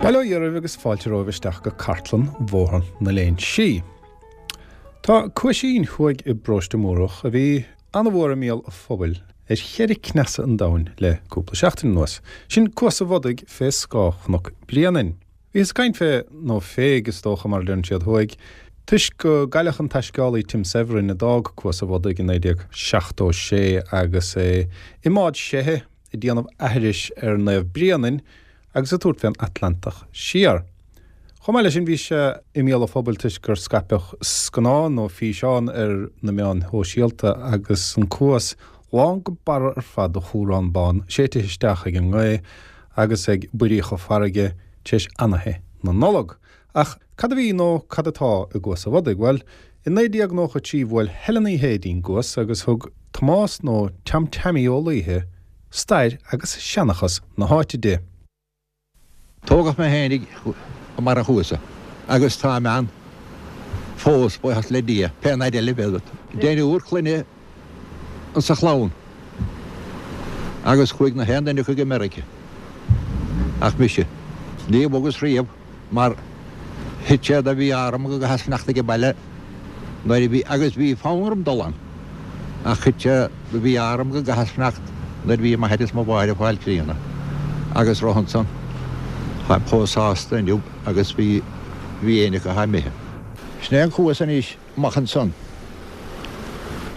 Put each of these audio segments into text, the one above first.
Bail ó Dhia oraibh agus fáilte romhaibh isteach go cartlann Bhóthar na Léinsí. Tá cuaisín thuaidh i bparóiste Múrach a bhí ana-mhór i mbéal an phobail ar cheithre cneasa an domhain le cúpla seachtain anuas. Sin Cuas a' Bhodaigh fé scáth Chnoc Bréanainn. Bhíothas ag caint fé, nó féig is dócha mar a deireann siad thuaidh, toisc go gcailleadh an taisceálaí Tim Severin a d'fhág Cuas a' Bhodaigh i 1976 agus é i mbád seithe ag déanamh aithris ar Naomh Bréanainn agus ag tabhairt fén Atlantach siar. Chomh maith leis sin bhí sé i mbéal an phobail toisc gur scaipeadh scannán nó físeán ar na meáin shóisialta agus an cuas lán go barra ar fad de chumhrán bán séidte isteach ag an ngaoth agus ag buiríocha farraige tar éis anaithe na Nollag. Ach cad a bhí nó cad atá i gCuas a' Bhodaigh? Bhuel, i 1993 bhuail Helen Uí Shé dtí'n gcuas agus thug Tomás nó Tom Teaimí Ó Laoithe stair agus seanchas na háite di. Tógadh mé fhéinig i mbarr an chuasa agus táim ann fós, buíochas le Dia, pé an fhaid eile a bheidh agat. Deichniúr clainne insa chlann agus chuaigh na haon duine acu go Meirice ach mise. Ní bhogas riamh mar thit sé de mhí-ádh orm go gcaitheas fanacht ag baile nuair a bhí, agus bhí fonn orm dul ann, ach thit sé de mhí-ádh orm go gcaitheas fanacht nuair a bhí m'athair is mo mháthair ag fáil críonna agus roimhe ansan táim chomh sásta inniu agus bhí bhí éinne acu atá imithe. Sin é an cuas anois. amach ansan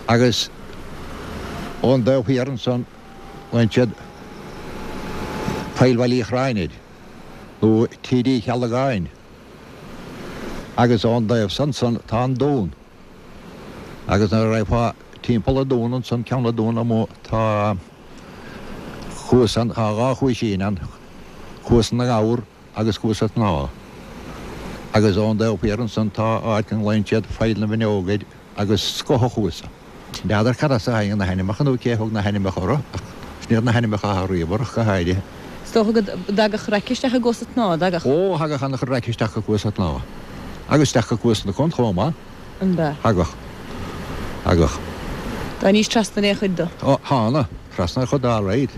agus ón dtaobh thiar ansan glaonn siad Poill Bhaile Uí Chorráin air nó Tír Uí Cheallagáin agus ón dtaobh san ansan tá an dún agus nuair a raghfá timpeall an dún ansan ceann an dún amuigh tá cuas ann tá dhá chuaisín ann cuas na ngabhar agus Cuas an tSnámha. Agus ón dtaobh thiar ansan tá áit a nglaonn siad Faill na bhFuinneog air agus Scoth an Chuasa. N'fheadar cad as a thagann na hainmneacha nó cé a thug na hainmneacha orthu ach sin iad na hainmneacha atá riamh orthu go háirithe. Is dócha go dtagadh raic isteach i gCuas an tSnámha, an dtagadh? Ó, thagadh ana-chuid raic isteach go Cuas an tSnámha. Agus isteach go Cuas na Con chomh maith. An b'ea? Thagadh. Thagadh. D'tháinís trasna ar aon chuid de? Ó, thána. Trasna ar chuid de alright.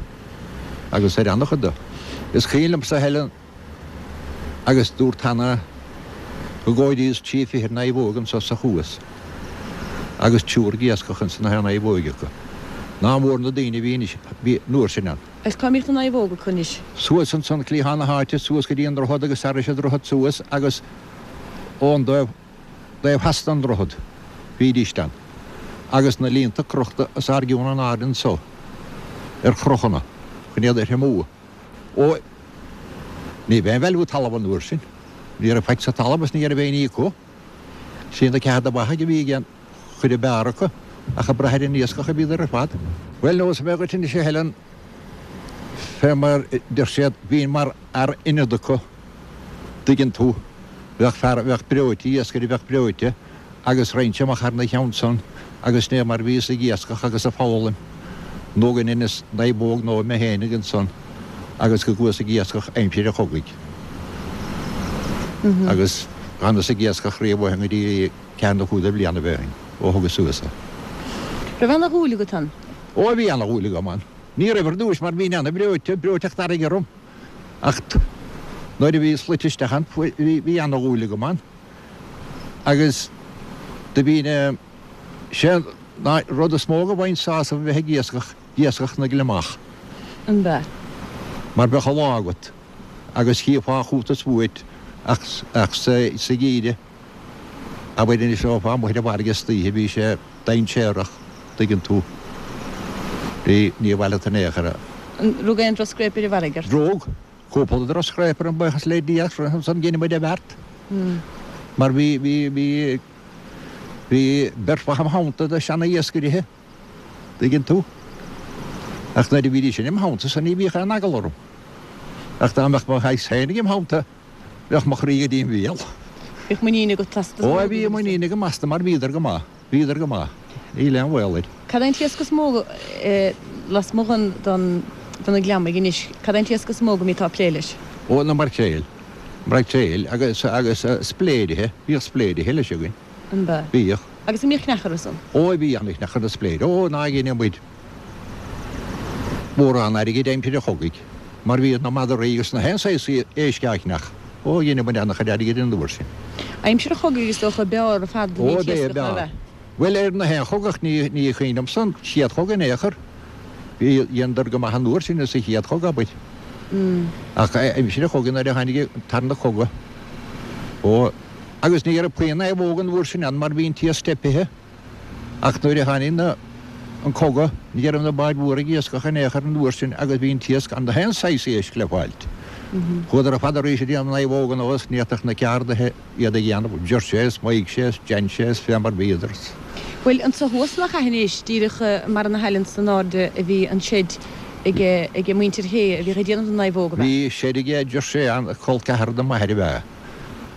Agus ar ana-chuid de. Is cuimhin liomsa a Helen agus dúrt cheana go gcomhairíos trí fichid naomhóg anso sa chuas agus triúr ag iascach ins na haon naomhóig acu. Ná mór na daoine a bhí anois, bhí an uair sin ann. Agus cá mbíodh na naomhóga acu anois? Suas ansan cliathán na háite, suas go dtí an droichead agus thairis an droichead suas agus ón dtaobh, dtaobh theas den droichead, bhídíst ann, agus na líonta crochta os ár gcionn in airde anso ar chrochanna chun iad a thriomú. Ó, ní raibh aon bhailiú talamh an uair sin. Ní raibh faic sa talamh is ní raibh aon ní acu. Sin na ceatha de bheathaigh a bhí ag an chuid ab fhearr acu, ach ag brath ar an iascach a bhíodar ar fad. Bhuel, neosfaidh mé dhuit anois a Helen, fé mar deir siad, bhínn mar fhear ionaid acu, dtuigeann tú. Bheadh fear a bheadh breoite, iascaire a bheadh breoite, agus raghainnse amach thar na cheann san agus sin é mar bhíos ag iascach agus ag foghlaim nó go ndeineas naomhóg nó mé fhéinig ansan agus go gcuas ag iascach aimsir an chogaidh. Agus dh'fhanas ag iascach riamh ó shin go dtí ceathair nó cúig de bhlianaibh ó shin, ó thugas suas é. Raibh ana-dhúil agat ann? Ó bhí ana-dhúil agam ann. Ní raibh ar dtúis mar bhínn ana-bhreoite, breoiteacht fharraige orm. Ach nuair a bhíos luite isteach ann, bhí ana-dhúil agam ann. Agus do bhínn, sé an rud is mó go bhfaighinn sásamh a bheith ag iascach, iascach na ngliomach. An b'ea? Mar bheadh an lá agat agus chífeá chút is uait ach sa gheimhreadh, abair anois raghfá amuigh ar an bhfarraige istoíche, bhí sé dainséarach, tuigeann tú. Bhí, ní bhaileadh in aon chor é. An rug aon drochscréip ar an bhfarraige ort? Rug. Cúpla drochscréip orm, buíochas le Dia, ach ansan dhein muid an bheart. Mar bhí, bhí, bhí, bhí beirt mhaith im theannta de seana-iascairithe, tuigeann tú. Ach nuair a bhídís sin im theannta-sa ní bhíodh aon eagla orm. Ach dá mbeadh mo shaghas féinig im theannta, Bheadh mo chroí go dtí an bhéal. Bhíodh muinín agat astu. Ó bhí muinín agam astu mar bhíodar go maith. Bhíodar go maith. Níl aon bhaol air. Cad é an t-iasc is mó lasmuigh den de na gliomaigh anois, cad é an t-iasc is mó go mbíteá ag plé leis? Ó, na maircréil. Maircréil agus agus spléirithe. Bhíodh spléirithe leis againn. An bea? Bhíodh. Agus an mbíodh cneach orthu san? Ó, bhí an-chneach ar na spléirithe. Ó, ná dheineadh muid mórán airgid aimsir an chogaidh mar bhíodh na madraí agus na haon saghas éisc á chneach. Ó, dheineadh muid an-chuid airgid an uair sin. Aimsir an chogaidh is dócha b'fhearr ar fad a bhí Ó, an b'ea, t-iascach ná b'fhearr. b'ea? Bhuel, ar na haon chogadh ní, ní cuimhin liomsa an chéad chogadh in aon chor. Bhí, dheineadar go maith an uair sin sa chéad chogadh, abair. Ach aimsir an chogaidh nuair a tháinig an tarna cogadh, ó, agus ní raibh puinn naomhóg an uair sin ann mar bhí an t-iasc teipithe. Ach nuair a tháinig na, an cogadh, ní raibh na báid mhóra ag iascach in aon chor an uair sin agus bhí an t-iasc ann, na haon saghas éisc le fáilt. Chuadar ar fad arís ag déanamh naomhóg anuas, ní fhéadfadh na ceardaithe iad a dhéanamh, Jersey is Maigh is Jansey is fé mar bhíodar. Bhuel, anso thuas nach ea anois, díreach mar na haill san airde a bhí an seid ag, ag muintir Shé a bhíodh ag déanamh na naomhóg, ab ea? Bhí seid aige Jersey ann, col ceathar do m'athair ab ea.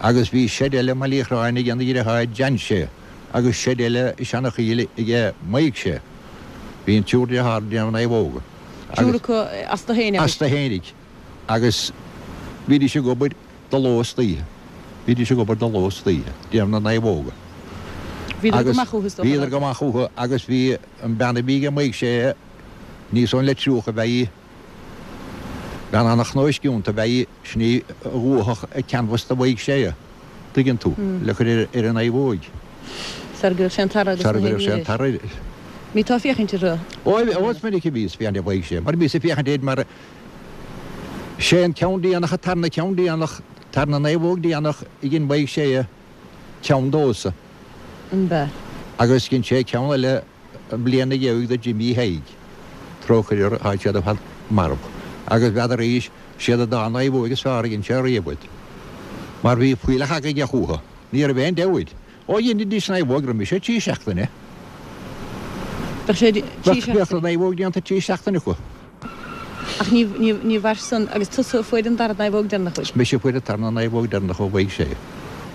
Agus bhí seid eile i mBaile Uí Chorráin ag an dheartháir Jansey. agus seid eile i Seanachoill aige Maidhc Sé. Bhí an triúr dearthár ag déanamh naomhóga. Triúr acu astu fhéin, abair. Astu fhéinig. Agus bhídís ag obair de ló is d'oíche. Bhídís ag obair de ló is d'oíche, déanamh na naomhóga. Bhíodar go maith chucu, is dócha. Bhíodar go maith chucu agus bhí an bean a bhí aige Maidhc Sé níos mó le 30 ab ea í. Bean an-chnóisciúnta ab ea í, sin í a dhúitheadh an canbhas do Mhaidhc Sé, tuigeann tú, le cur ar an naomhóig. Sara gcuirfeadh sé an tarra agus Sara gcuirfeadh sé an tarra air. Mbíteá ag féachaint orthu? Ó, ó, is minic a bhíos ag féachaint ar Mhaidhc Sé, mar bhíos ag féachaint air mar sé an ceann déanach, an tarna ceann déanach, tarna naomhóg déanach a dhein Maidhc Sé ceann domhsa. An b'ea? Agus dhein sé ceann eile An bhliain ina dhiaidh do Jimí Thaidhg, trócaire orthu, tá siad ar fad marbh, agus b'fheadar arís, siad an dá naomhóig is fearr a dhein sé riamh iad. Mar bhí fuílleach aige chucu. Ní raibh aon dabht. Ó dheinidís naomhóg roimis sé trí seachtaine. Bheadh sé trí seachtaine. Bheadh an naomhóg déanta trí seachtaine acu. Ach ní, ní, ní mhair san, agus tusa a fuair an dara naomhóg deireanach uaidh. Is mise a fuair an tarna naomhóg deireanach ó Mhaidhc Sé,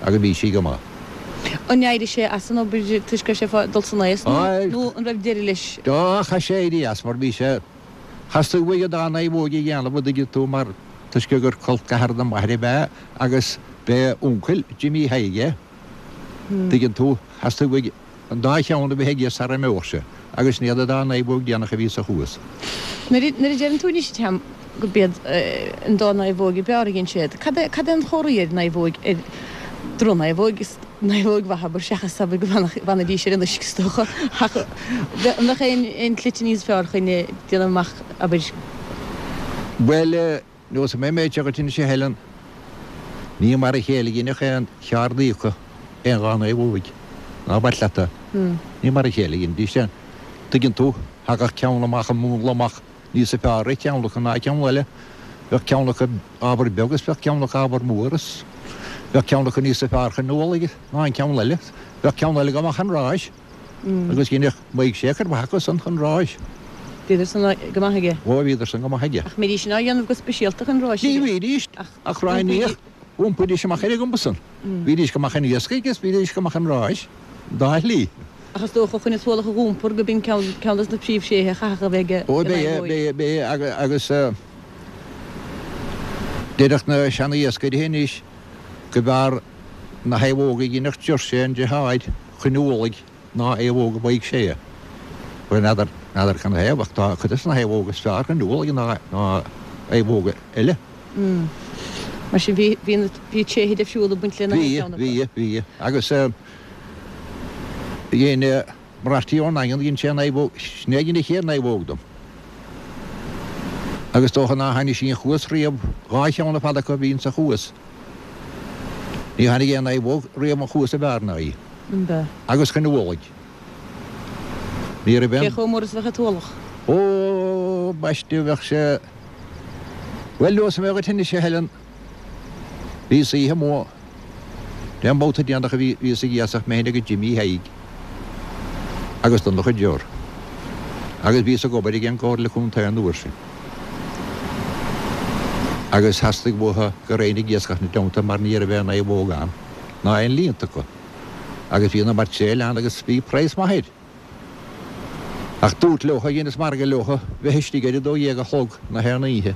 agus bhí sí go maith. An éirigh sé as an obair toisc go raibh sé fá dul san aos nó, nó an raibh deireadh leis? Á, chaith sé éirí as mar bhí sé, theastaigh uaidh an dá naomhóg a dhéanamh, an dtuigeann tú, mar toisc gur col ceathar do m'athair ab ea agus b'é uncail Jimí Thaidhg é, tuigeann tú, theastaigh uaidh. An dá cheann a bheith aige sara imeodh sé, agus sin iad an dá naomhóg déanach a bhí sa chuas. Nuair a deireann tú anois a Tom go b'iad an dá naomhóg ab fhearr a dhein siad, cad é cad é an chomhartha ar naomhóg, ar drochnaomhóg is naomhóg mhaith abair seachas abair go bhfanfaidís ar an uisce is dócha ach an mbeadh aon aon tslite níos fearr chun déanamh amach abair? Bhuel, Neosfaidh mé an méid seo dhuit anois a Helen. Ní mar a chéile a dheineadh aon cheardaí acu aon dhá naomhóig. Ná bac leat é. Ní mar a chéile a dheinidís é. Tuigeann tú, thagadh ceann amach an múnla amach níosa fearr ar cheann acu ná ceann eile. Bheadh ceann acu ábhar beag is bheadh ceann acu ábhar mór is bheadh ceann acu níosa fearr chun ualaigh ná an ceann eile. Bheadh ceann eile go maith chun ráis. Agus dheineadh Maidhc Sé cuid mhaith acu san chun ráis. Bhíodar san go maith aige. Ó, bhíodar san go maith aige. Ach mbeidís sin á dhéanamh go speisialta chun ráis aige? Ní bhídís, ach roghnaíodh, iompaídís amach ar an gcuma san. Bhídís go maith chun iascaigh agus bhídís go maith chun ráis, an dá shlí. Ach is dócha chun an t-ualach a dh'iompar go b'in ceann dos na príomhthréithe a chaithfeadh a bheith ag Ó, b'é, b'é, b'é, agus déarfadh na seana-iascairí anois go mb'fhearr na naomhóga a dheineadh Jersey an deartháir chun ualaigh ná naomhóga Mhaidhc Sé. Bhuel, n'fheadar, n'fheadar cad 'na thaobh, ach tá cuid de na naomhóga is fearr chun ualaigh ná naomhóga eile. Mar sin, bhí, bhí na, bhí tréithe difriúla ag baint lena Bhí, cheann acu. bhí, bhí. Agus dhein Marty ón nDaingean, dhein sé naomhóg, sin é a dhein an chéad naomhóg dom. Agus dócha ná tháinig sí an chuas riamh, dhá cheann ar fad acu a bhí insa chuas. Ní tháinig aon naomhóg riamh an chuas ab fhearr ná í. Agus chun ualaigh. Ní raibh aon. Cé chomh mór is a bheadh an t-ualach? Ó, baiste, bheadh sé. Bhuel, neosfaidh mé dhuit anois, a Helen. Bhíos oíche amuigh. Dé an babhta déanach a bhíos ag iascach mé féin agus Jimí Thaidhg agus Donncha Jor. Agus bhíos ag obair ag an gComhairle Contae an uair sin. Agus theastaigh uathu go raghainn ag iascach ina dteannta mar ní raibh aon naomhóg ann. Ná aon líonta acu. Agus bhí na mairtéil ann agus bhí praghas maith air. Ach dúrt leotha, dheineas margadh leotha, bheith istigh ar a 12 a chlog na haon oíche.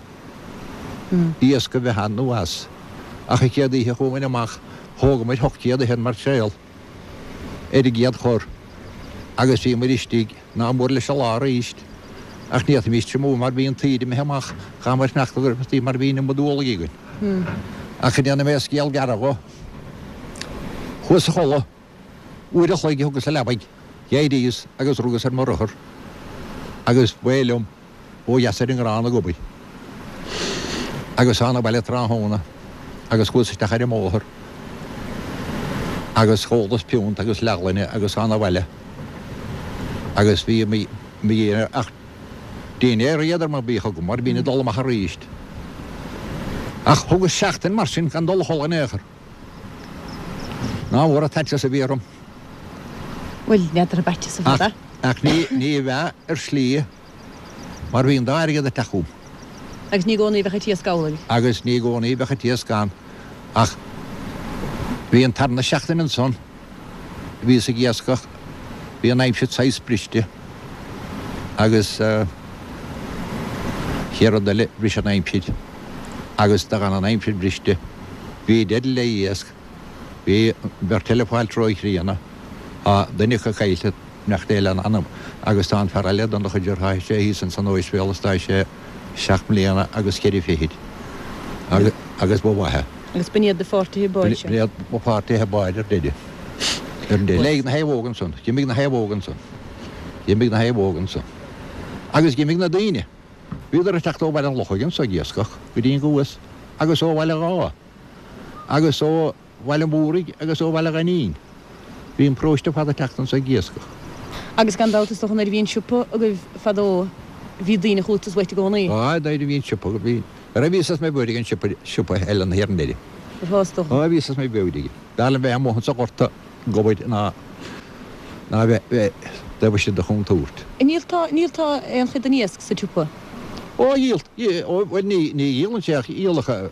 Iasc a bheith ann nó as. Ach an chéad oíche a chuamair amach, thógamair 800 mairtéal ar an gcéad chor agus bhíomair istigh ná mór leis an lá arís. Ach ní fhéadfaimis triomú mar bhí an taoide imithe amach, chaitheamair fanacht go raibh mar bhí an iomad ualaigh againn. Ach go ndéana mé scéal gearr dho, chuas a chodladh. Uair a chloig a thugas sa leabaidh, d'éiríos agus rugas ar mo rothar agus b'é liom ó dheas ar an nGrán ag obair. Agus thána abhaile tráthnóna agus chuas isteach ar an mbóthar agus chólas piúnt agus leathghloine agus thána abhaile agus bhí mo dhiaidh ach dinnéar éadrom a bhíodh agam mar bhínn ag dul amach aríst. Ach thugas seachtain mar sin gan dul a chodladh in aon chor. Ná mór an t-aiteas a bhí orm. Bhuel, n'fheadar ab aiteas a bheadh. Ach ní bheadh ar shlí mar bhí an dá airgead ag teacht chugam. Agus ní i gcónaí a bheadh an t-iasc amhlaidh. Agus ní i gcónaí a bheadh an t-iasc ann. Ach bhí an tarna seachtain ansan, bhíos ag iascach, bhí an aimsir saghas briste agus chéad rud eile, bhris an aimsir. Agus do dh'fhan an aimsir briste. Bhí deireadh le iasc. Bhí an bheirt eile ag fáil róchríonna. Tá duine acu caillte, beannacht Dé lena anam, agus tá an fear eile, Donncha deartháir, sé thíos ins an óispidéal is tá sé seacht mbliana agus ceithre fichid. Agus ba mhaith é. Agus b'in iad do pháirtithe báid seo? B'in iad mo pháirtithe báid ar deireadh. Ar deireadh. Léig na naomhóga ansan. D'imigh na naomhóga ansan. D'imigh na naomhóga ansan. Agus d'imigh na daoine. Bhíodar ag teacht ó Bhaile an Lochaigh anso ag iascach go dtí an gCuas agus ó Bhaile Dháith agus ó Bhaile Mhúraigh agus ó Bhaile Ghainín. Bhí an paróiste ar fad ag teacht anso ag iascach. Agus gan dabht is dócha nuair a bhí an siopa agaibh fadó bhí daoine chugat is uait i gcónaí. Á, nuair a bhí an siopa agaibh bhí. Ar bhí fhios mé b'fhéidir ag an siopa, siopa eile na hÉireann Eile. Ar is dócha. Á, bhí fhios mé b'fhéidir aige. B'fhearr liom bheith amuigh anso ghorta. ag obair ná ná bheith bheith taobh istigh de chontúirt. An ndíoltá, ndíoltá aon chuid den iasc sa tsiopa? Ó, dhíolt, ó, bhuel ní, ní dhíolann sé ach dhíolfadh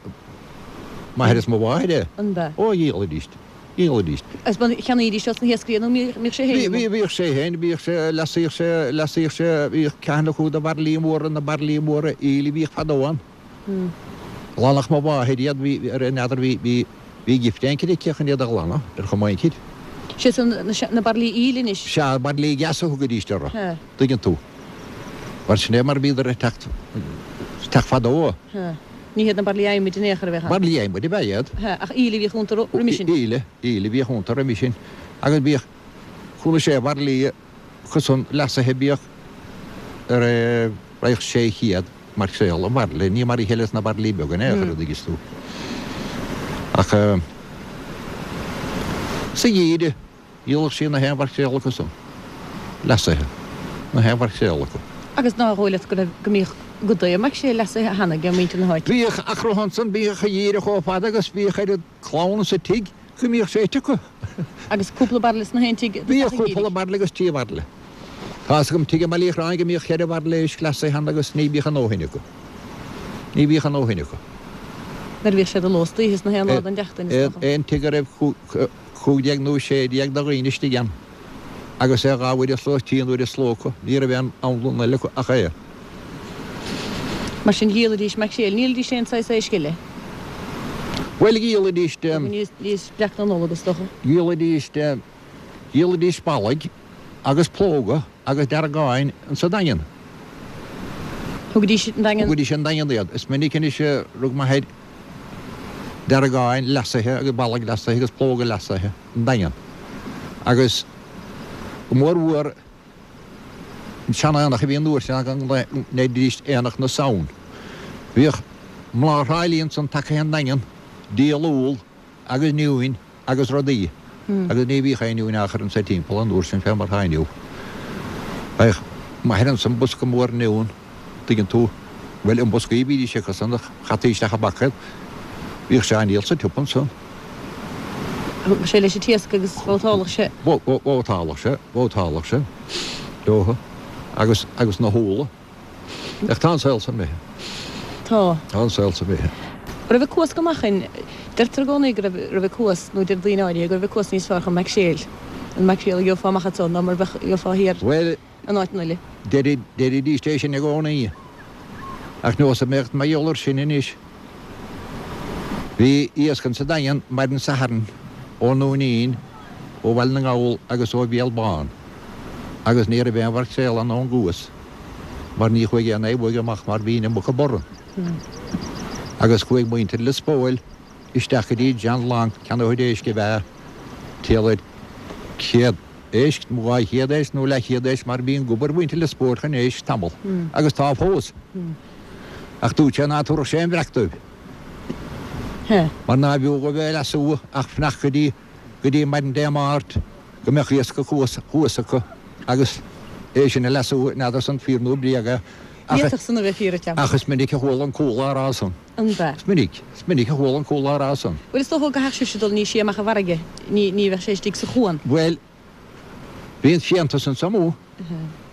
m'athair is mo mháthair é. An b'ea? Ó, dhíolaidís, dhíolaidís. Agus an cheannaídís ós na hiascairí nó mbíodh sé féin amuigh? Bhí, bhíodh sé féin, bhíodh sé, leasaíodh sé, leasaíodh sé, bhíodh ceann acu de bhairillí móra, na bairillí móra aoil a bhíodh fadó ann. Ghlanfadh mo mháthair iad, bhí, ar n'fheadar, bhí, bhí, bhí gift éicint aici chun iad a ghlanadh, ar chuma éicint. Sé san, na, na bairillí aoil anois. Sea, bairillí gas a thugaidís orthu, Sea. tuigeann tú. Mar sin é mar a bhíodar ag teacht, teacht fadó. Sea. Ní hiad na bairillí adhmaid in aon chor a bheadh ann. Bairillí adhmaid ab ea iad. Sea, ach aoil a bhíodh iontu roimhe sin. Aoil, aoil a bhíodh iontu roimhe sin. Agus bhíodh, chuala sé bhairillí acu san leasaithe bhíodh ar raghadh 600 maircréal an bhairille, ní mar a chéile is na bairillí beaga in aon chor, an dtuigeann tú. Ach sa gheimhreadh, dhíolfadh sí na haon mhaircréal acu san, leasaithe, na haon mhaircréal acu. Agus nár dhóigh leat go raibh, go mbíodh go deo maircréal leasaithe cheana ag muintir na háite? Bhíodh, ach raibh ansan, bhíodh an geimhreadh chomh fada agus bhíodh oiread clann sa tigh go mbíodh sé ite acu. Agus cúpla bairille sna haon tigh Bhíodh cúpla bairille agus trí bhairille. Tá's agam tigh i mBaile Uí Chorráin go mbíodh cheithre bhairille éisc leasaithe ann agus ní bhíodh a ndóthain acu. Ní bhíodh a ndóthain acu. Nuair a bhíodh sé de ló is d'oíche sna haon lá den tseachtain, is dócha. Aon tigh a raibh 15 nó 16 de dhaoine istigh ann agus é dhá uair an sló, trí uair an sló acu, ní raibh aon anlann eile acu ach é. Mar sin dhíolaidís maicréil, ní dhíolaidís aon saghas éisc eile? Bhuel dhíolaidís. Níos breac na Nollag is dócha. Dhíolaidís, dhíolaidís ballaigh agus plóga agus deargáin insa Daingean. Thugaidís an Daingean. Thugaidís an Daingean iad. Is minic anois a rug m'athair deargáin leasaithe agus ballaigh leasaithe agus plóga leasaithe an Daingean. Agus go mór mhór an sean-aonach a bhí an uair sin go ndeiridís Aonach na Samhain. Bhíodh mná Thrá Lí ansan tagtha ón nDaingean, díol úll agus oinniúin agus rudaí agus ní bhíodh aon oinniún á chur anso timpeall an uair sin fé mar atá inniu. Bheadh m'athair ansan bosca mór oinniún, tuigeann tú, bhuel i mboscaí a bhídís acu san ach chaití isteach i bpaca iad. Bhíodh sé á ndíol sa tsiopa ansan. Thugadh sé leis an t-iasc agus bhabhtáladh sé. Bhabhtáladh sé, bhabhtáladh sé leothu agus, agus na húlla. Ach tá an saol san imithe. Tá. Tá an saol san imithe. Raibh ag Cuas go Machain. Deirtear i gcónaí go raibh, raibh an cuas, nó deir daoine áirithe, go raibh an cuas níos fearr chun maicréil, an maicréal a gheofá amach anso ná mar a bheadh, gheofá thiar Bhuel, in áiteanna eile. deiridís é sin i gcónaí. Ach neosfaidh mé dhuit mar gheall air sin anois. Bhí iasc insa Daingean maidin Sathairn ón nDúinín, ó Bhaile na nGall agus ó Bhéal Bán agus ní raibh aon mhaircréal ann ón gcuas mar ní chuaigh aon naomhóig amach mar bhí an iomarca borradh. Agus chuaigh muintir Lios Póil isteach go dtí John Long, ceannaitheoir éisc ab ea, timpeall ar 100 éisc nó 200 éisc nó leathchéad éisc mar bhí an gob ar mhuintir Lios Póil chun éisc tamall agus tá fós. Ach dúirt sé ná tabharfadh sé aon bhreac dóibh mar ná b'fhiú dhóibh é a leasú ach fanacht go dtí go dtí maidin Dé Máirt go mbeadh iasc an chuas thuas acu agus é sin a leasú, n'fheadar san fíor nó bréag é ach D'fhéadfadh san a bheith fíor, a Tom. ach is minic a chuala an cúla á rá san. An b'ea? Is minic, is minic a chuala an cúla á rá san. Bhuel is dócha go gcaithfeadh sibhse dul níos sia amach i bhfarraige, ní, ní bheadh sé istigh sa chuan. Bhuel, bhí an fiántas anso amuigh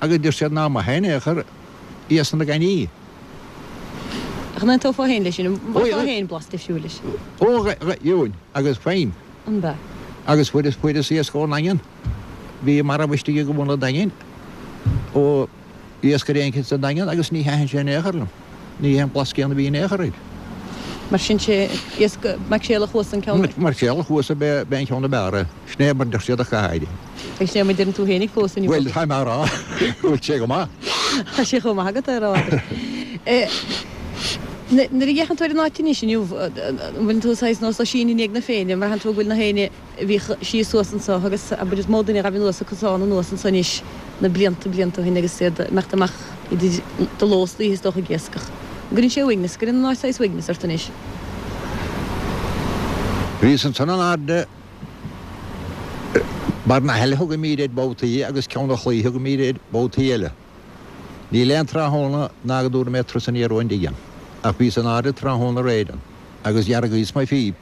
agus deir siad ná maith é in aon chor iasc na gainní. Ach an aontófá féin leis sin? An bhfaighfeá féin blas difriúil leis? Ó, gheobhainn, agus faighim. An b'ea? Agus fuaireas, fuaireas iasc ón nDaingean. Bhí marbh istigh i gcuan an Daingin ó iascaire éicint sa Daingean agus ní thaitin sé in aon chor liom. Ní hé an blas céanna a bhí in aon chor air. Mar sin sé iasc maicréal an chuasa an ceann. Maicréal an chuasa ab é an ceann ab fhearr é. Sin é mar deir siad ach go háirithe. Agus sin é mar deireann tú fhéinig fós inniu. Bhuel, tá mé a rá go bhfuil sé go maith. Tá sé chomh maith agat é a rá, abair. Nuair a fhéachann tú ar an áit anois inniu, an bhfuileann tú saghas nós Oisín i ndiaidh na Féinne, an mbraitheann tú go bhfuil na héinne a bhíodh síos suas anso agus abair is mó duine a ghabh anuas an cosán anuas anso anois na blianta, blianta ó shin agus iad ag imeacht amach idir de ló is d'oíche is dócha ag iascach. An gcuireann sé uaigneas, gcuireann an áit saghas uaigneas ort anois? Bhíos ansan in airde Barr na hAille thugaimíd air babhtaí agus Ceann an Chlaí thugaimíd air babhtaí eile. Níl aon tráthnóna ná go dtabharfaidh mé turas aniar ón dtigh ann. Ach bhíos in airde tráthnóna aréir ann agus dheargaíos mo phíp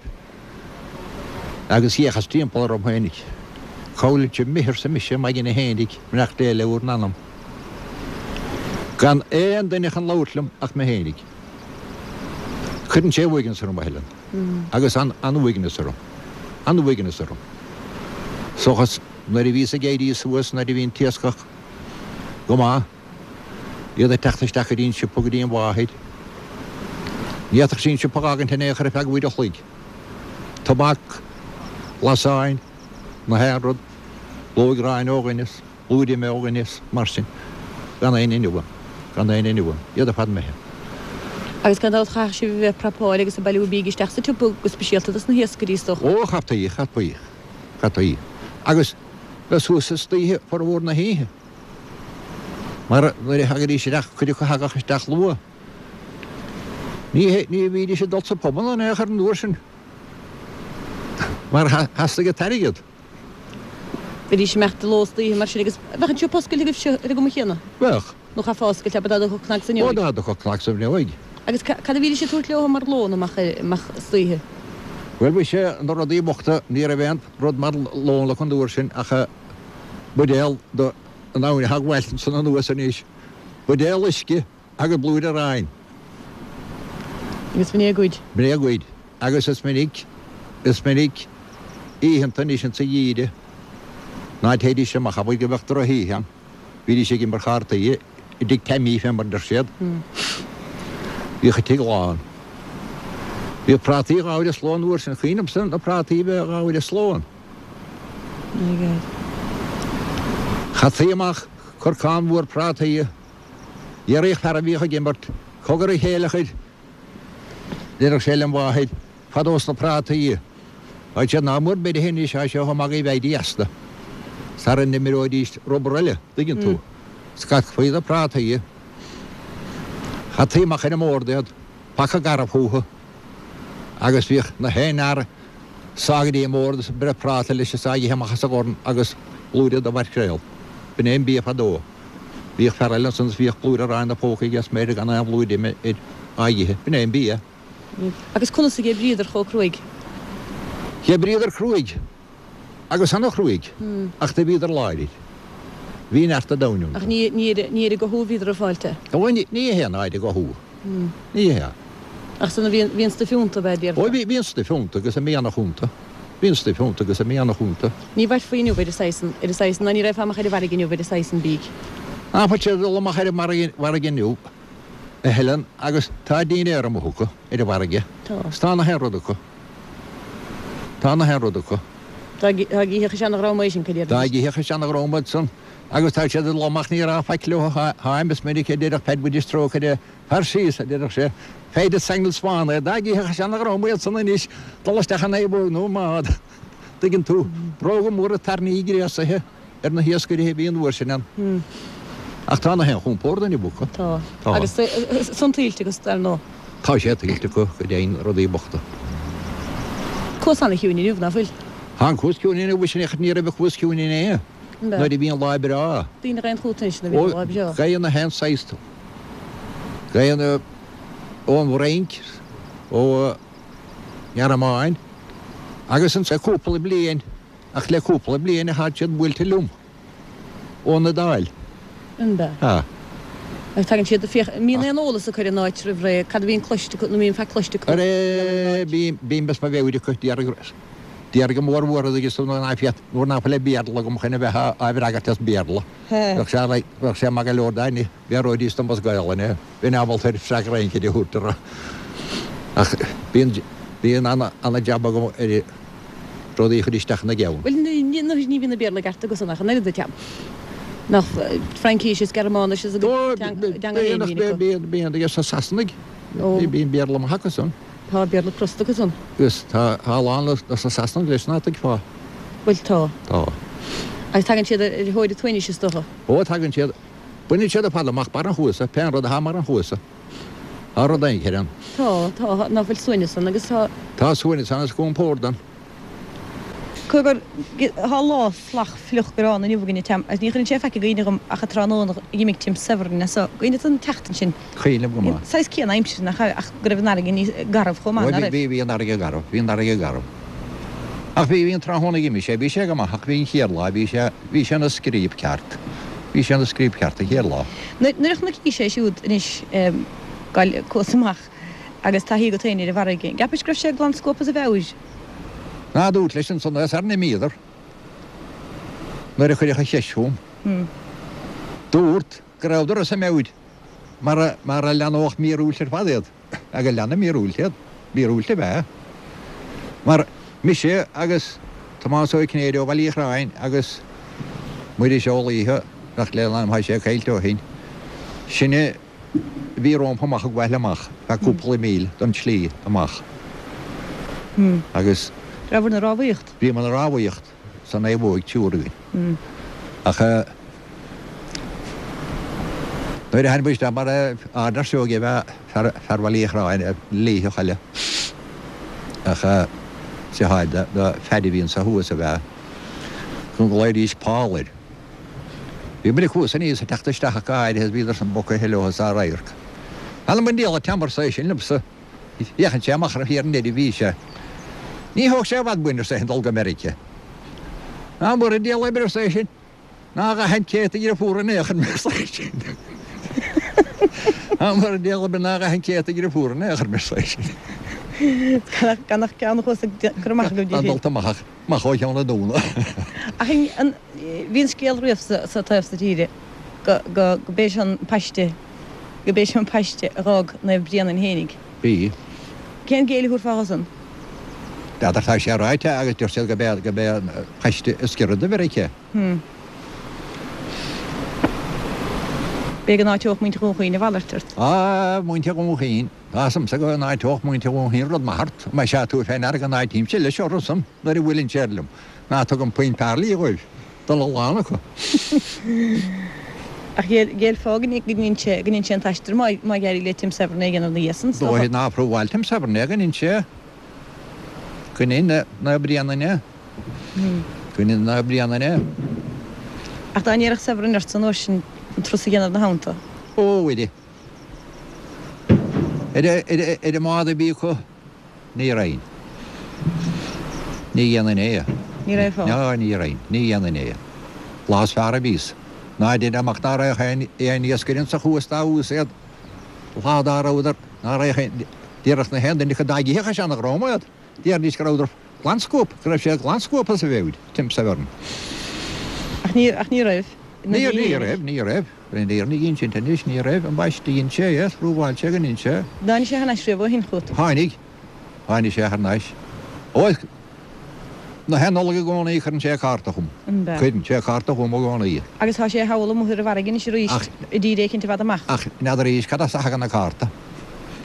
agus d'fhéachas timpeall orm féinig. Cá bhfuil sibh imithe arsa mise, m'aigne fhéinig, beannacht Dé le bhur n-anam. Gan aon duine chun labhairt liom ach mé fhéinig. Cuireann sé uaigneas orm, a Helen. Agus an-uaigneas orm. An-uaigneas orm. Seachas nuair a bhíos ag éirí suas, nuair a bhí an t-iascach go maith, iad ag teacht isteach go dtí an siopa, go dtí an mháthair. Ní fhéadfadh sí an siopa a dh'fhágaint in aon chor ar feadh uair a chloig. Tobac, lasáin, na haon rud, blúire aráin ó dhuine is blúire ime ó dhuine is mar sin. Gan éinne inniu ann. Gan éinne inniu ann. Iad ar fad imithe. Agus gan dabht chaithfeadh sibh a bheith ag prapáil agus ag bailiú bídh isteach sa tsiopa go speisialta dos na hiascairí is dócha. Ó, chaití, chaití, chaití. Agus bheith suas istoíche formhór na hoíche. Mar nuair a thagaidís isteach, cuid acu a thagadh isteach luath. Ní, ní bhídís ag dul sa phubanna in aon chor an uair sin. Mar theastaigh an t-airgead. Bhídís ag imeacht de ló is d'oíche mar sin agus bheadh an siopa oscailte agaibhse ar an gcuma chéanna? Bheadh. Nó chaithfeá oscailt, abair, dá dtiocfadh cnag sa bhfuinneoig? Ó, dá dtiocfadh cnag sa bhfuinneoig. Agus cad a bhídís ag tabhairt leo mar lón amach, amach istoíche? Bhuel, mhuise, na rudaí bochta, ní raibh aon rud mar lón acu an uair sin ach buidéal de an abhainn a ghabháil ansan anuas anois, buidéal uisce agus blúire aráin. Agus b'in é a gcuid. B'in é a gcuid. Agus is minic, is minic oícheanta anois insa gheimhreadh ná téidís amach, abair go mbeadh drochoíche ann, bhídís ag imirt chártaí i dtigh Taimí fé mar a deir siad. Bhíodh an tigh lán. Bhíodh prátaí dhá uair an sló an uair sin, cuimhin liomsa na prátaí a bheith dhá uair an sló ann. Chaití amach corcán mhór prátaí. Dhéarfadh fear a bhíodh ag imirt, Cogar a chéileachair, déarfadh sé lem mháthair, fadó sna prátaí. Tá siad nach mór beirithe anois, tá sé chomh magaidh a bheidís astu. Sara n-imreoidís rubar eile, dtuigeann tú. Scagfaí na prátaí. Chaití amach ar an mbord iad, paca garbh fúthu, agus bhíodh na haon fhear sá go dtí an mbord is ag breith práta leis is á ithe amach as a dhorn agus blúire de mhaicréal. B'in é an bia fadó. Bhíodh fear eile ansan is bhíodh blúire aráin 'na phóca aige is m'fhéidir gan aon bhlúire ime air á ithe. B'in é an bia. Agus conas a dh'oibríodar chomh cruaidh? Dh'oibríodar cruaidh, agus ana-chruaidh, ach do bhíodar láidir. Bhí neart an domhain iontu. Ach ní, ní ar, ní ar an gcothú a bhíodar ag fáilt é? Ó, ní, ní hea ná ar an gcothú. Ní hea. Ach san bhí an stuif iontu, ab ea, déarfá? Ó bhí, bhí an stuif iontu agus an mianach iontu. Bhí an stuif iontu agus an mianach iontu. Ní mhairfí inniu ar an saghas san, ar an saghas san, ná ní raghfá amach ar an bhfarraige inniu ar an saghas san bídh. Ná fuil siad ag dul amach ar an bhfarraige inniu, a Helen, agus tá dinnéar amuigh acu ar an bhfarraige. Tá. 'S tá na haon rud acu. Tá na haon rud acu. Dá gcífeadh a seana-dhream é sin, cad Dá gcífeadh a seana-dhream iad san, agus tá siad ag dul amach ní raibh faic leo, tháim is minic a deireadh Peaid Bhiddy Strócaire, Tar síos, a deireadh sé, feid is saingeal spáin é, dá gcífeadh a seana-dhream iad san anois dul isteach i naomhóg nó i mbád, dtuigeann tú, bróga móra tairní gréasaithe ar na hiascairí a bhí an uair sin ann. Ach tá na haon chompórd inniu acu. Tá. Tá. Agus san tuillte acu, dar ndóigh. Tá sé tuillte acu, go deimhin, rudaí bochta. Cuas ana-chiúin inniu, ná fuil? Tá an cuas ciúin inniu, sin é, ní raibh an cuas ciúin inné, nuair a bhí an lá breá. Daoine ag aon chugat anois nuair a bhí an lá breá. Ó, gabhann na haon saghas. Gabhann ón bhFrainc, ó nGearmáin agus ansan cúpla bliain, ach le cúpla bliain atá siad buailte liom, ón Iodáil. An ea? Tá. Agus tagann siad, féach, an mbíonn aon eolas acu ar an áit roimh ré, cad a bhíonn cloiste acu, nó an mbíonn faic cloiste acu ar an áit? Bím as mo mheabhair acu, déarfaidh go mór mhór agus nuair ná féad, nuair ná fuil Béarla agam chun a bheith á bhfreagairt as Béarla. Bheadh sé, bheadh sé maith go leor dá Bhéarlóidís dom as Gaelainn é. Bheinn ábalta ar freagra éicint a thabhairt orthu. Ach bíonn, bíonn ana-jab agam ar rudaí a chur isteach ina gceann. Bhuel, ní, ní bhíonn an Béarla i gceart acu-san ach an oiread, a Tom. Nach Fraincís is Gearmáinis is a gcuid teanga féin a bhíonn acu. Bíonn, bíonn aige sna Sasanaigh. Bíonn Béarla maith acu-san. Tá Béarla crosta acu-san. Agus tá a lán de na Sasanaigh leis ná tuigfeá. Bhuel, tá. Tá. Agus tagann siad ar thóir an tsuaimhnis, is dócha. Ó, tagann siad. Baineann siad ar fad amach barr an chuasa, pé an rud atá i mbarr an chuasa. Tá rud éicint ann. Tá, tá, ná fuil suaimhneas ann agus tá. Tá suaimhneas ann is compord ann. Cogar, tá lá salach fliuch gránna inniu againn, a Tom, agus ní chuireann sé faic i gcuimhne dhom ach an tráthnóna a dh'imigh Tim Severin as so. Cuimhin leat an tseachtain sin? Cuimhin liom go maith. Saghas céanna aimsire nach ea, ach go raibh an fharraige níos garbh chomh maith, ná raibh? Bhí, bhí an fharraige garbh, bhí an fharraige garbh. Ach bhí, bhí an tráthnóna a dh'imigh sé, bhí sé go maith ach bhí an chéad lá, bhí sé, bhí sé ina scríob ceart. Bhí sé ina scríob ceart an chéad lá. Nuair a chonaicís é siúd anois ag gabháil cuas amach agus taithí agat féin ar an bhfarraige, an gceapais go raibh sé glan scuabtha as a mheabhair? Ná dúirt leis ansan é sar n-imíodar nuair a cuireadh an cheist chugam. Dúrt go rabhadar as a meabhair mar, mar a leanódh míorúilt ar fad iad. Agus leanadh míorúilt iad. Míorúilt ab ea. Mar mise agus Tomás Ó Cinnéide ó Bhaile Uí Chorráin agus Muiris Ó Laoithe, nach lena ainm thá sé caillte ó shin, sinne a bhí rómpa amach ag bhaile amach feadh cúpla míle don tslí amach. Agus. Rabhabhair 'na rámhaíocht? Bhíomar 'na rámhaíocht sa naomhóig triúr againn. Ach. Nuair a tháinig muid isteach mar Ardar Seoige ab ea fear Bhaile Uí Chorráin, Laoitheach eile, ach deartháir do Phaddy a bhí anso thuas ab ea, go nglaoidís Paul air. Bhí muid ag cuas aníos ag teacht isteach ach go háirithe is bhíodar san bogtha leo is á radharc. Th'anam 'on diabhal a Tom arsa é sin liomsa. Féachann sé amach ar thiar an oireadh a bhí sé. Ní thóg sé i bhfad uainn arsa é sin dul go Meiriceá. Ná mura diabhal oibre arsa é sin. Ná a dhath an té a dheirfiúr in aon chor mé arsa é sin. Ná mura diabhal oibre ná a dhath an té a dheirfiúr in aon chor mé arsa é sin. Gan ach ceann a chuas ag cur amach agaibh di féin. Dulta amach ach amach ó Cheann an Dúna. Ach an, bhí an scéal riamh sa taobh so tíre go, go, go b'é seo an paiste, go b'é seo an paiste a dh'fhág Naomh Bréanainn fhéinig. Bhí. Cén géilleadh a thabharfá dho san? N'fheadar, tá sé ráite agus deir siad go b'é an paiste is giorra do Mheiriceá. B'fhéidir go n-áiteodh muintir Dhún Chaoin a mhalairt ort. Á, muintir Dhún Chaoin. Tá 'fhios a'msa go n-áiteodh muintir Dhún Chaoin rud maith ort. Más ea tú fé ndeara go n-áitímse leis orthusan nuair a bhuaileann siad liom. Ná tugaim puinn pearlaí dhóibh, don a lán acu. Ach ghéillfeá go ndein sé go ndein sé an t-aistear má d'éirigh le Tim Severin é a dhéanamh ina dhiaidh san, is dócha. Dóigh ná prúbháil Tim Severin é go ndein sé. Go ndein Naomh Bréanainn é. Go ndein Naomh Bréanainn é. Ach dá ndéarfadh Severin ort san uair sin an turas a dhéanamh ina theannta. Ó, Mhuire. Ar an mbád a bhí acu, ní raghainn. Ní dhéanfainn é. Ní raghfá? Ná, ní raghainn. Ní dhéanfainn é. Lá is fearr a bhíos. Ná deir amach ná raghadh aon iascaire insa chuas dá uas iad. Lá dá rabhadar, ná raghadh aon. Déarfadh na haon duine acu dá gcífeadh sé ina dhrom iad, déarfaidís go rabhadar glan scuabtha, go raibh siad glan scuabtha sa bhfeoid, Tim Severn. Ach ní, ach ní raibh. Ní, ní raibh, ní raibh. An fhírinne a insint anois, ní raibh. Ambaiste, dhein sé é, phrúbháil sé go ndein sé. Tháinig sé thar n-ais riamh ó shin chugat? Tháinig. Tháinig sé thar n-ais. Ó, na haon Nollaig i gcónaí cuireann sé cárta chugam. An b'ea? Cuireann sé cárta chugam i gcónaí. Agus tá sé thall amuigh ar an bhfarraige anois arís, i dtír éicint i bhfad amach. Ach n'fheadar arís cad as a thagann an cárta.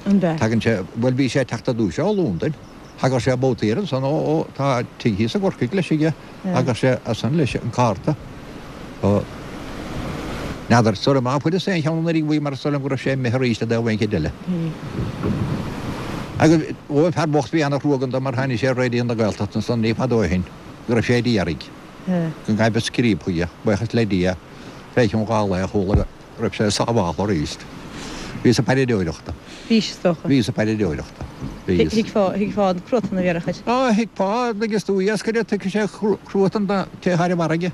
An b'ea? Tagann sé, bhuel bhí sé ag teacht ar dtús ó Londain. Thagadh sé babhtaí air ansan ó, ó, tá tigh thíos i gCorcaigh leis aige, thagadh sé as san leis an cárta. Ó, n'fheadar, sula má fuaireas aon cheann anuraidh uaidh mar is dóigh liom go raibh sé imithe arís i dtaobh éicint eile. Agus, ó, an fear bocht bhí ana-thruagh dó mar tháinig sé ar Raidió na Gaeltachta ansan ní fada ó shin go raibh sé a d'iarraidh go ngaibh scríob chuige, buíochas le Dia, fé chionn dhá lae chuala go. raibh sé sábháltha arís. Bhíos ag paidreoireachta. Bhís, is dócha. Bhíos ag paidreoireachta. Bhíos. Thuigfeá, thuigfeá an cruatan a bhéarfadh air. Á, thuigfeá, agus tú iascaire, tuigfidh sé cruatan don té atá ar an bhfarraige.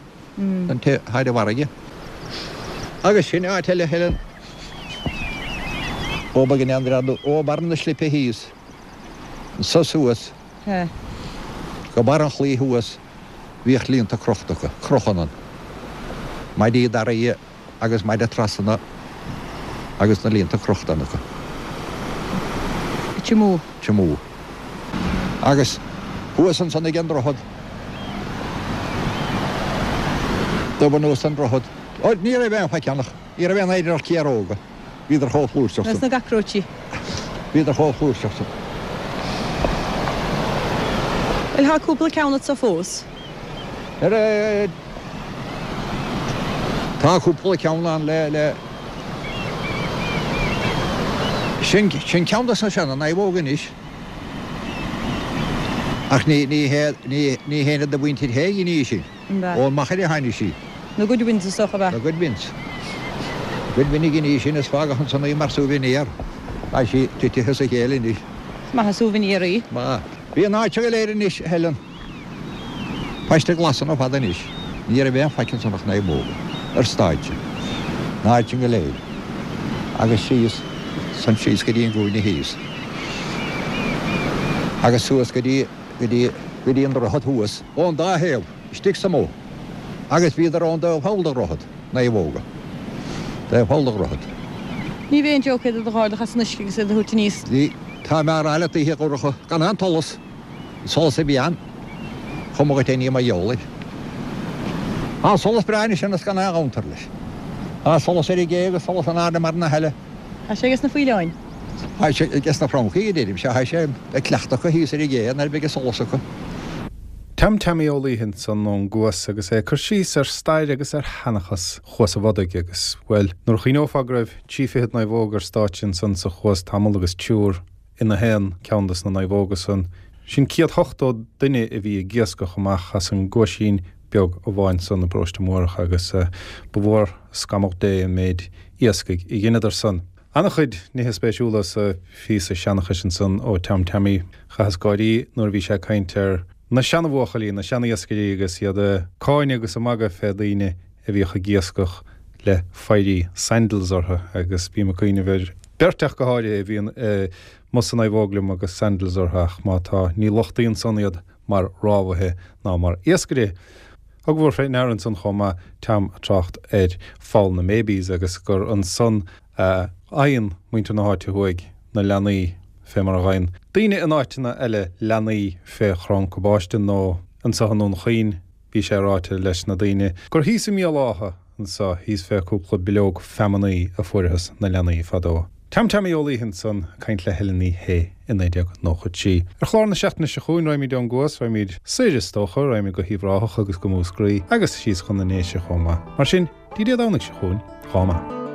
Don té atá ar an bhfarraige. Agus sin áit eile, Helen. Ó, b'éigean an dread, ó, barr na slipe thíos, anso suas, go barr an chlaí thuas, bhíodh líonta crochta acu, crochadh anonn. Maidí daraí agus maide trasna agus na líonta crochta ann acu. Tiomú. Tiomú. Agus thuas ansan ag an droichead, dubh anuas an droichead, ó ní raibh aon faic ann ach ní raibh aon oidhre ach ciaróga. Bhíodar chomh flúirseach san. Agus na gcacróití. Bhíodar chomh flúirseach san. Bhuel, tá cúpla ceann anso fós. Tá cúpla ceann ann le, le. Sin, sin ceann dos na seana naomhóga anois. Ach ní, ní hé, ní, ní héinne de mhuintir Shé a dhein í sin. Ón Machaire a tháinig sí. Na Goodwins is dócha ab ea? Na Goodwins. Goodwin a dhein í sin is fágadh ansan í mar souvenir. Tá sí titithe as a chéile anois. Is maith an souvenir í. Maith. Bhí an áit seo go léir anois, a Helen. Paiste glas ann ar fad anois. Ní raibh aon faic ansan ach naomhóga. Ar stáitse. An áit sin go léir. Agus síos, san síos go dtí an gcúinne thíos. Agus suas go dtí, go dtí, go dtí an droichead thuas. Ón dá thaobh, istigh sa mbóth. Agus bhíodar ón dtaobh thall de dhroichead, naomhóga. Taobh thall de dhroichead. Ní bheidh aon joke iad a dh'ardach as an uisce agus iad a thabhairt aníos. Bhí, tá mé á rá leat oíche dhorcha, gan aon tsolas, an solas a bhí ann, chuma dhuit é ní mar gheall air. Tá solas breá anois ann is gan aon ghabhantar leis. Tá solas ar an gcé agus solas in airde mar na heile. Tá sé ages na faoileáin. Tá sé ages na francaigh, a deirimse, tá sé ag cleachtadh acu thíos ar an gcé nuair a bheidh an solas acu. Tom Teaimí Ó Laoithe ansan ón gCuas agus é ag cur síos ar stair agus ar sheanchas Chuas a' Bhodaigh agus, bhuel, nuair a chuimhneofá go raibh trí fichead naomhóg ar stáitse ansan sa Chuas tamall agus triúr ina haon ceann dos na naomhóga san, sin 180 duine a bhí ag iascach amach as an gcuaisín beag amháin san i bparóiste Múrach agus ba mhór scamhadh Dé an méid iascaigh a dheineadar san. Ana-chuid nithe spéisiúla sa phíosa seanchais ansan ó Tom Teaimí. Chaitheas gáirí nuair a bhí sé ag caint ar na seana-bhuachaillí, na seana-iascairí agus iad ag cáineadh agus ag magadh fé daoine a bhíodh ag iascach le fairí sandals orthu agus bím ag cuimhneamh ar beirt ach go háirithe a bhíonn amuigh sa naomhóg liom agus sandals orthu ach má tá, ní lochtaíonn san iad mar rámhaithe ná mar iascairí. Thugamar fé ndeara ansan chomh maith Tom ag trácht ar Pholl na mBabies agus gur ansan a fhaigheann muintir na háite thuaidh na leanaí fé mar a fhaigheann daoine in áiteanna eile leanaí fé chrann cabáiste nó anso i nDún Chaoin Bhí sé ráite leis na daoine gur thíos i mBéal Átha anso, thíos fé cúpla bileog feamannaí a fuaireathas na leanaí fadó. Tom Teaimí Ó Laoithe ansan ag caint le Helen Ní Shé i 1993. Ar chlár na seachtaine seo chugainn raghaimid ón gCuas, raghaimid soir is dócha, raghaimid go hUíbh Ráthach agus go Múscraí agus síos chun na nDéise chomh maith. Mar sin, dtí Dé Domhnaigh seo chugainn, dhá maith.